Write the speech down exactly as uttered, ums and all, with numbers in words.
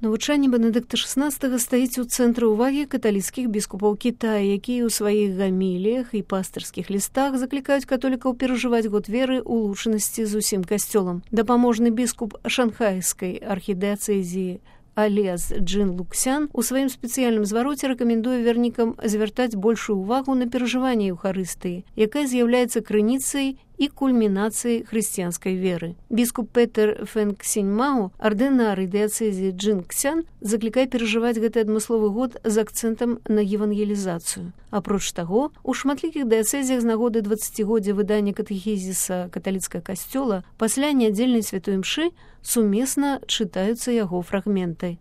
Навучанне Бенедыкта шаснаццатага стаіць у цэнтры ўвагі каталіцкіх біскупаў Кітая, якія ў сваіх гаміліях і пастырскіх лістах заклікаюць католікаў перажываць год веры ў лучанасці з усім касцёлам. Дапаможны біскуп шанхайскай архідыяцэзіі Алез Джин Луксян у сваім спецыяльным звароце рэкамендуе вернікам звяртаць большую ўвагу на перажыванне Еўхарыстыі, якая з'яўляецца крыніцай і кульмінацыяй хрысціянскай веры. Біскуп Петер Фэнг Сіньмао, ардынар дыяцэзіі Джин Ксян, заклікае перажываць гэты адмысловы год з акцэнтам на евангелізацыю. Апроч таго, у шматлікіх дыяцэзіях з нагоды дваццацігоддзя выдання катэхізіса каталіцкага касцёла пасля нядзельнай святой імшы сумесна чытаюцца яго фрагменты.